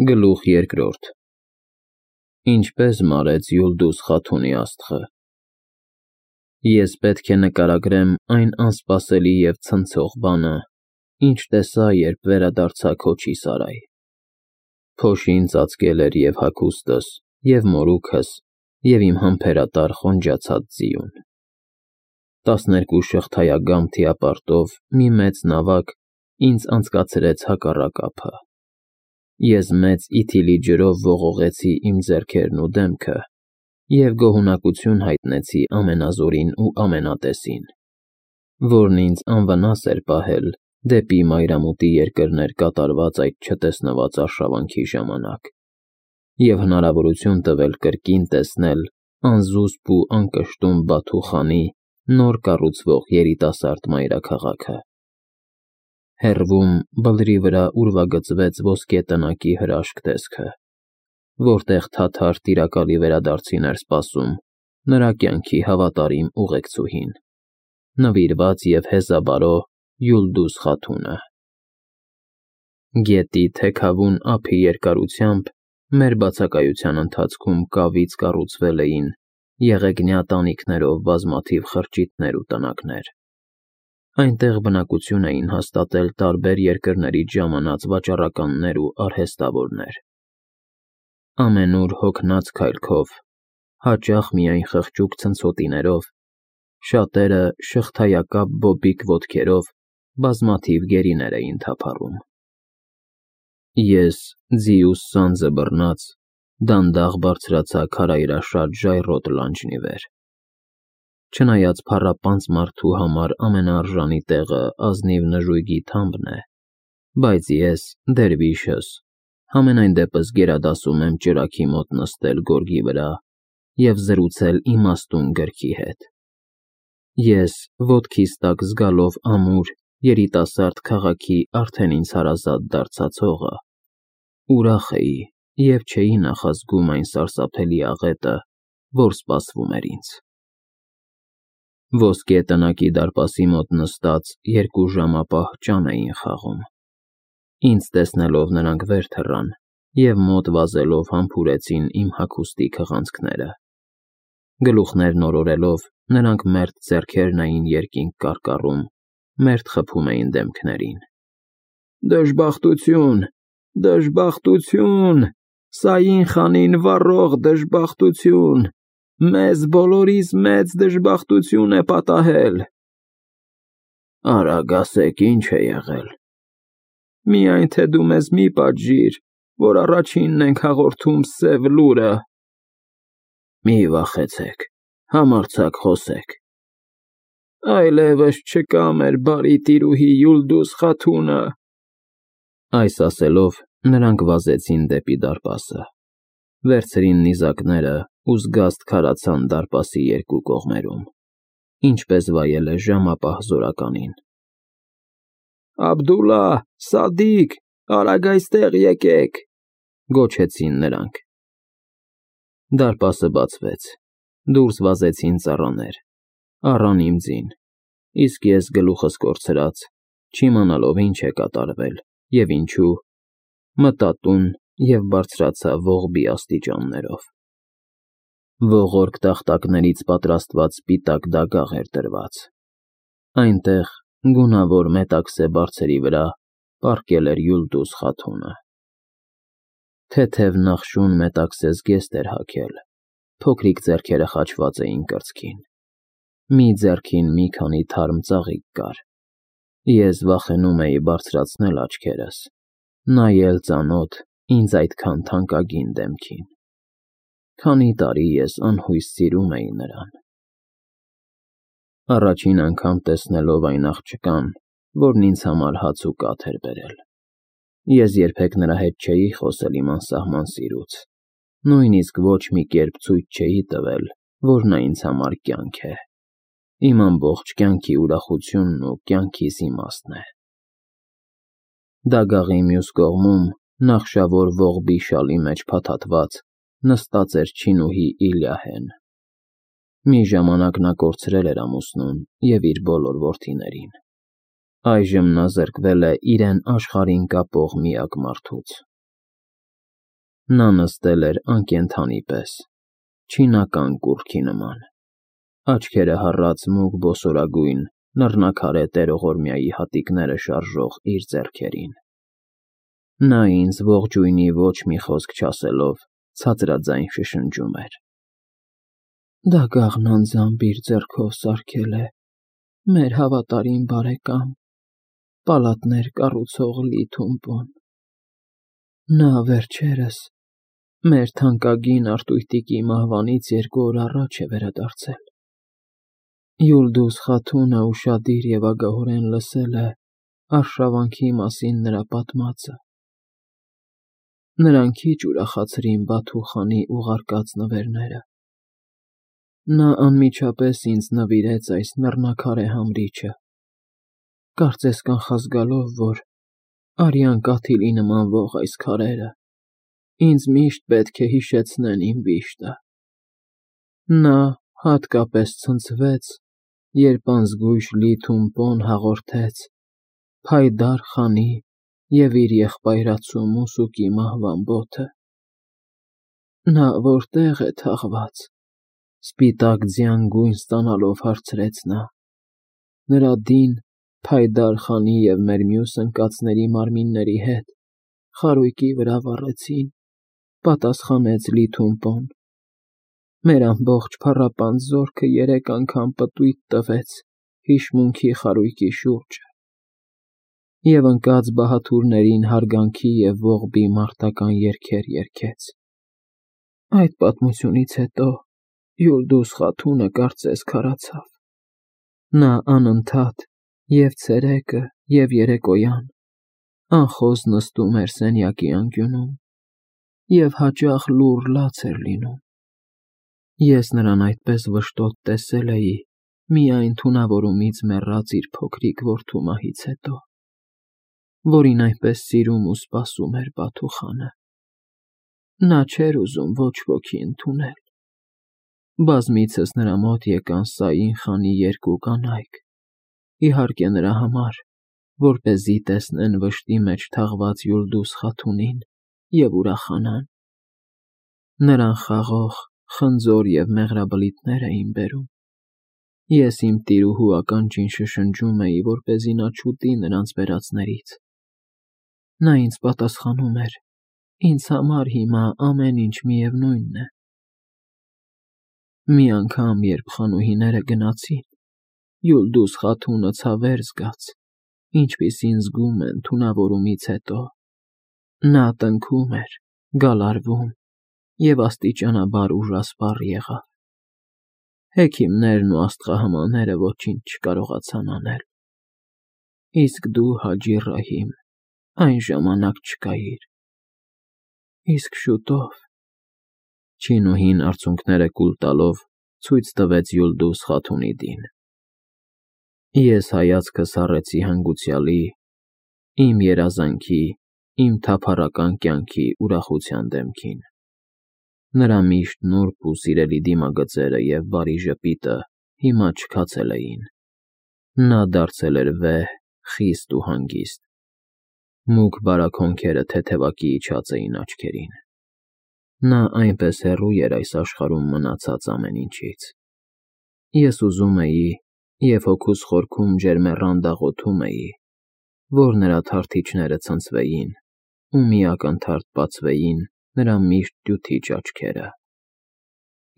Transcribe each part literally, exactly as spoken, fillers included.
Գլուխ երկրորդ Ինչպես մարեց Յուլդուս Խաթունի աստղը։ Ես պետք է նկարագրեմ այն անսպասելի և ցնցող բանը, ինչ տեսա, երբ վերադարձա Քոչի սարայ։ Փոշին ծածկել էր և հագուստս, և մորուքս, և իմ համբերատար խոնջացած ձիուն։ Տասներկու շղթայագամ թիապարտով մի մեծ նավակ ինձ անցկացրեց հակառակ ափը։ Ես մեծ իթիլի ջրով ողողեցի իմ ձեռքերն ու դեմքը և գոհունակություն հայտնեցի ամենազորին ու ամենատեսին, որն ինձ անվնաս էր պահել դեպի մայրամուտի երկրներ կատարված այդ չտեսնված արշավանքի ժամանակ և հնարավորություն տվել կրկին տեսնել անզուսպ ու անկշտում Բաթու խանի նոր կառուցվող երիտասարդ մայրաքաղաքը։ Հեռվում բլրի վրա ուրվագծվեց ոսկե տնակի հրաշք տեսքը, որտեղ թաթար տիրակալի վերադարձին էր սպասում նրա կյանքի հավատարիմ ուղեկցուհին, նվիրված և հեզաբարո Յուլդուս Խաթունը։ Գետի թեքավուն ափի երկարությամբ մեր բացակայության ընթացքում կավից կառուցվել էին եղեգնյա տանիքներով բազմաթիվ խրճիթներ ու տնակներ։ Այնտեղ բնակություն էին հաստատել տարբեր երկրներից ժամանած վաճառականներ ու արհեստավորներ։ Ամենուր հոգնած քայլքով, հաճախ միայն խղճուկ ցնցոտիներով, շատերը շղթայակապ բոբիկ ոտքերով բազմաթիվ գերիներ էին թափառում։ Ես, ձիուս սանձը բռնած, դանդաղ բարձրացա քարայրաշատ ժայռոտ լանջն ի վեր։ Չնայած փառապանծ մարդու համար ամենաարժանի տեղը ազնիվ նժույգի թամբն է, բայց ես, դերվիշս, համենայն դեպս գերադասում եմ ճրագի մոտ նստել գորգի վրա և զրուցել իմաստուն գրքի հետ։ Ես, ոտքիս տակ զգալով ամուր, երիտասարդ քաղաքի արդեն ինձ հարազատ դարձած հողը, ուրախ էի և չէի նախազգում այն սարսափելի աղետը, որ սպասվում էր ինձ։ Ոսկե տնակի դարպասի մոտ նստած երկու ժամապահ ճան էին խաղում։ Ինձ տեսնելով նրանք վեր թռան և մոտ վազելով համբուրեցին իմ հագուստի քղանցքները։ Գլուխներն օրորելով, նրանք մերթ ձեռքերն էին երկինք կարկառում, մերթ խփում էին դեմքներին։ Դժբախտություն, դժբախտություն, Սաին խանին վառող դժբախտություն, մեզ բոլորիս մեծ դժբախտություն է պատահել։ Արագ ասեք, ինչ է եղել։ Միայն թե դու մեզ մի պատժիր, որ առաջինն ենք հաղորդում սև լուրը։ Մի վախեցեք, համարձակ խոսեք։ Այլևս չկա մեր բարի տիրուհի Յուլդուս Խաթունը։ Այս ասելով, նրանք վազեցին դեպի դարպասը, վերցրին նիզակները ու զգաստ քարացան դարպասի երկու կողմերում, ինչպես վայել է ժամապահ զորականին։ Աբդուլլա, Սադիկ, արագ այստեղ եկեք, գոչեցին նրանք։ Դարպասը բացվեց, դուրս վազեցին ծառաներ, առան իմ ձին, իսկ ես գլուխս կորցրած, չիմանալով ինչ է կատարվել և ինչու, մտա տուն և բարձրացա ողբի աստիճաններով։ Ողորկ տախտակներից պատրաստված սպիտակ դագաղ էր դրված։ Այնտեղ, գունավոր մետաքսե բարձերի վրա, պառկել էր Յուլդուս Խաթունը։ Թեթև նախշուն մետաքսե զգեստ էր հագել, փոքրիկ ձեռքերը խաչված էին կրծքին։ Մի ձեռքին մի քանի թարմ ծաղիկ կար։ Ես վախենում էի բարձրացնել աչքերս, նայել ծանոթ, ինձ այդքան թանկագին դեմքին։ Քանի տարի ես անհույս սիրում էի նրան։ Առաջին անգամ տեսնելով այն աղջկան, որն ինձ համար հաց ու կաթ էր բերել։ Ես երբեք նրա հետ չէի խոսել իմ անսահման սիրուց, նույնիսկ ոչ մի կերպ ցույց չէի տվել, որ նա ինձ համար կյանք է, իմ ամբողջ կյանքի ուրախությունն ու կյանքիս իմաստն է։ Դագաղի մյուս կողմում, նախշավոր ողբի շալի մեջ փաթաթված, նստած էր չինուհի Իլյահեն։ Մի ժամանակ նա կորցրել էր ամուսնուն և իր բոլոր որդիներին։ Այժմ նա զրկվել է իրեն աշխարհին կապող միակ մարդուց։ Նա նստել էր անկենդանի պես, չինական կուռքի նման, աչքերը հառած մուգ բոսորագույն, նռնակարե տերողորմյայի հատիկները շարժող իր ձեռքերին։ Նա ինձ ողջույնի ոչ մի խոսք չասելով ցածրաձայն շշնջում էր. «Դագաղն անձամբ իր ձեռքով սարքել է մեր հավատարիմ բարեկամ, պալատներ կառուցող Լի-Թումպոն։ Նա վերջերս մեր թանկագին Արտույտիկի մահվանից երկու օր առաջ է վերադարձել։ Յուլդուզ Խաթունը ուշադիր և ագահորեն լսել է արշավանքի մասին նրա պատմածը։ Նրան քիչ ուրախացրին Բաթու խանի ուղարկած նվերները։ Նա անմիջապես ինձ նվիրեց այս նռնակարե համրիչը, կարծես կանխազգալով, որ արյան կաթիլի նմանվող այս քարերը ինձ միշտ պետք է հիշեցնեն իմ վիշտը։ Նա հատկապես ցնցվեց, երբ անզգույշ Լի-Թումպոն հաղորդեց Փայդար խանի և իր եղբայրացու Մուսուկի մահվան բոթը։ Նա որտե՞ղ է թաղված, սպիտակ ձյան գույն ստանալով հարցրեց նա։ Նրա դին Փայդար խանի և մեր մյուս ընկածների մարմինների հետ խարույկի վրա վառեցին, պատասխանեց Լի-Թումպոն։ Մեր ամբողջ փառապանծ զորքը երեք անգամ պտույտ տվեց հիշմունքի խարույկի շուրջը և ընկած բահաթուրներին հարգանքի և ողբի մարտական երգեր երգեց։ Այդ պատմությունից հետո Յուլդուզ Խաթունը կարծես քարացավ։ Նա անընդհատ և ցերեկը, և երեկոյան անխոս նստում էր սենյակի անկյունում և հաճախ լուռ լաց էր լինում։ Ես նրան այդպես վշտոտ տեսել էի միայն թունավորումից մեռած իր փոքրիկ որդու մահից հետո, որին այնպես սիրում ու սպասում էր Բաթու խանը։ Նա չէր ուզում ոչ ոքի ընդունել։ Բազմիցս նրա մոտ եկան Սաին խանի երկու կանայք, իհարկե նրա համար, որպեսզի տեսնեն վշտի մեջ թաղված Յուլդուզ Խաթունին և ուրախանան։ Նրան խաղող, խնձոր և մեղրաբլիթներ էին բերում։ Ես իմ տիրուհու ականջին շշնջում էի, որպեսզի նա չուտի նրանց բերածներից։ Նա ինձ պատասխանում էր. «Ինձ համար հիմա ամեն ինչ միևնույն է»։ Մի անգամ, երբ խանուհիները գնացին, Յուլդուզ Խաթունը ցավեր զգաց, ինչպիսին զգում են թունավորումից հետո։ Նա տնքում էր, գալարվում և աստիճանաբար ուժասպառ եղավ։ Հեքիմներն ու աստղահամաները ոչինչ չկարողացան անել։ Իսկ դու, Հաջի Ռահիմ, այն ժամանակ չկայիր։ Իսկ շուտով… Չինուհին արցունքները կուլ տալով ցույց տվեց Յուլդուզ Խաթունի դին։ Ես հայացքս հառեցի հանգուցյալի, իմ երազանքի, իմ թափառական կյանքի ուրախության դեմքին։ Նրա միշտ նուրբ ու սիրելի դիմագծերը և բարի ժպիտը հիմա չքացել էին։ Նա դարձել էր վեհ, խիստ ու հանգիստ։ Մուգ բարակ թեթևակի իջած էին աչքերին։ Նա այնպես հեռու էր այս աշխարհում մնացած ամեն ինչից։ Ես ուզում էի և հոգուս խորքում ջերմեռանդ աղոթում էի, որ նրա թարթիչները ցնցվեին ու մի ակնթարթ բացվեին նրա միշտ դյութիչ աչքերը։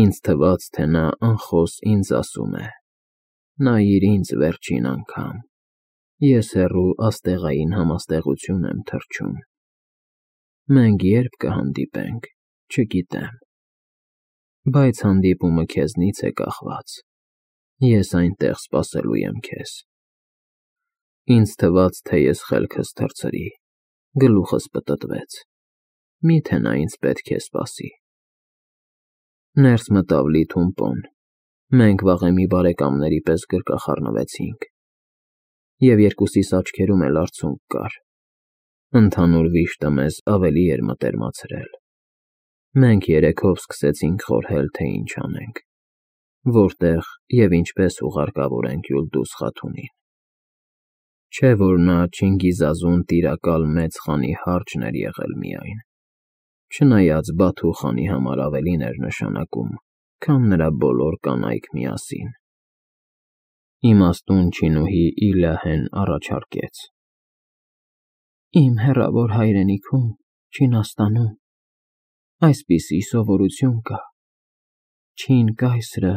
Ինձ թվաց, թե նա անխոս ինձ ասում է. «Նայիր ինձ վերջին անգամ, ես հեռու աստեղային համաստեղություն եմ թռչում։ Մենք ե՞րբ կհանդիպենք, չգիտեմ, բայց հանդիպումը քեզնից է կախված։ Ես այնտեղ սպասելու եմ քեզ»։ Ինձ թվաց, թե ես խելքս թռցրի, գլուխս պտտվեց։ Մի՞թե նա ինձ պետք է սպասի։ Ներս մտավ Լի-Թումպոն, մենք վաղեմի բարեկամների պես գրկախառնվեցինք, և երկուսիս աչքերում էլ արցունք կար։ Ընդհանուր վիշտը մեզ ավելի էր մտերմացրել։ Մենք երեքով սկսեցինք խորհել, թե ինչ անենք, որտեղ և ինչպես ուղարկավորենք Յուլդուզ Խաթունին։ Չէ՞ որ նա Չինգիզազուն տիրակալ մեծ խանի հարճն էր եղել միայն։ չնայած Բաթու խանի համար ավելին էր նշանակում, քան նրա բոլոր կանայք միասին։ Իմաստուն չինուհի Իլյահեն առաջարկեց. Իմ հեռավոր հայրենիքում, Չինաստանում, այսպիսի սովորություն կա. չին կայսրը,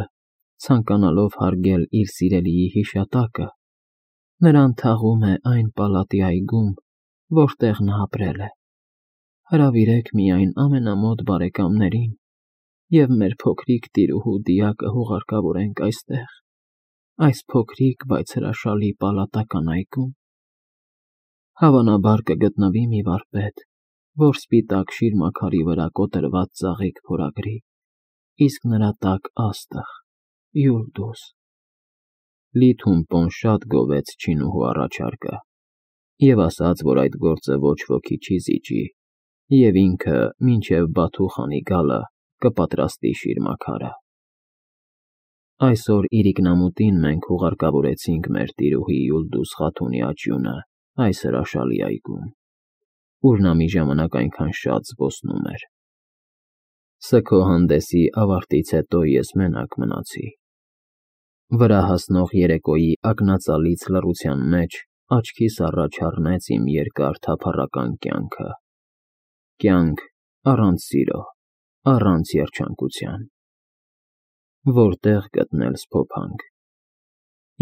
ցանկանալով հարգել իր սիրելիի հիշատակը, նրան թաղում է այն պալատի այգում, որտեղ նա ապրել է։ Հրավիրեք միայն ամենամոտ բարեկամներին և մեր փոքրիկ տիրուհու Դիակը հուղարկավորենք այստեղ, այս փոքրիկ, բայց հրաշալի պալատական այգում։ Հավանաբար կգտնվի մի վարպետ, որ սպիտակ շիրմաքարի վրա կոտրված ծաղիկ փորագրի, իսկ նրա տակ աստղ՝ Յուլդուզ։ Լիթումպոն շատ գովեց չինուհու առաջարկը և ասաց, որ այդ գործը ոչ ոքի չի զիջի, և ինքը մինչև Բաթու խանի գալը կպատրաստի շիրմաքարը։ Այսօր իրիկնամուտին մենք հուղարկավորեցինք մեր տիրուհի Յուլդուզ խաթունի աճյունը այս հրաշալի այգում, ուր նա մի ժամանակ այնքան շատ զբոսնում էր։ Սգո ավարտից հետո ես մենակ մնացի։ Վրա հասնող երեկոյի ակնածալից լռության մեջ աչքիս առաջ առնեց իմ երկար թափառական կյանքը, կյանք առանց սիրո, առանց երջանկության։ Որտե՞ղ գտնել սփոփանք։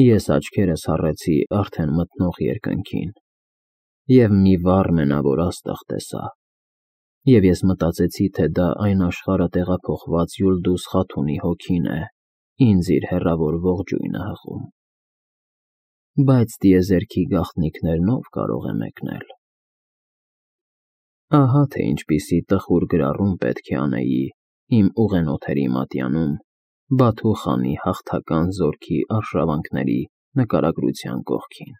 Ես աչքերս հառեցի արդեն մթնող երկնքին և մի վառ մենավոր աստղ տեսա, և ես մտածեցի, թե դա այն աշխարհը տեղափոխված Յուլդուզ խաթունի հոգին է ինձ իր հեռավոր ողջույնը հղում։ Բայց տիեզերքի գաղտնիքներն ո՞վ կարող է մեկնել։ Ահա թե ինչպիսի տխուր գրառում պետք է անեի իմ ուղենոթերի մատյանում Բաթու խանի հաղթական զորքի արշավանքների նկարագրության կողքին։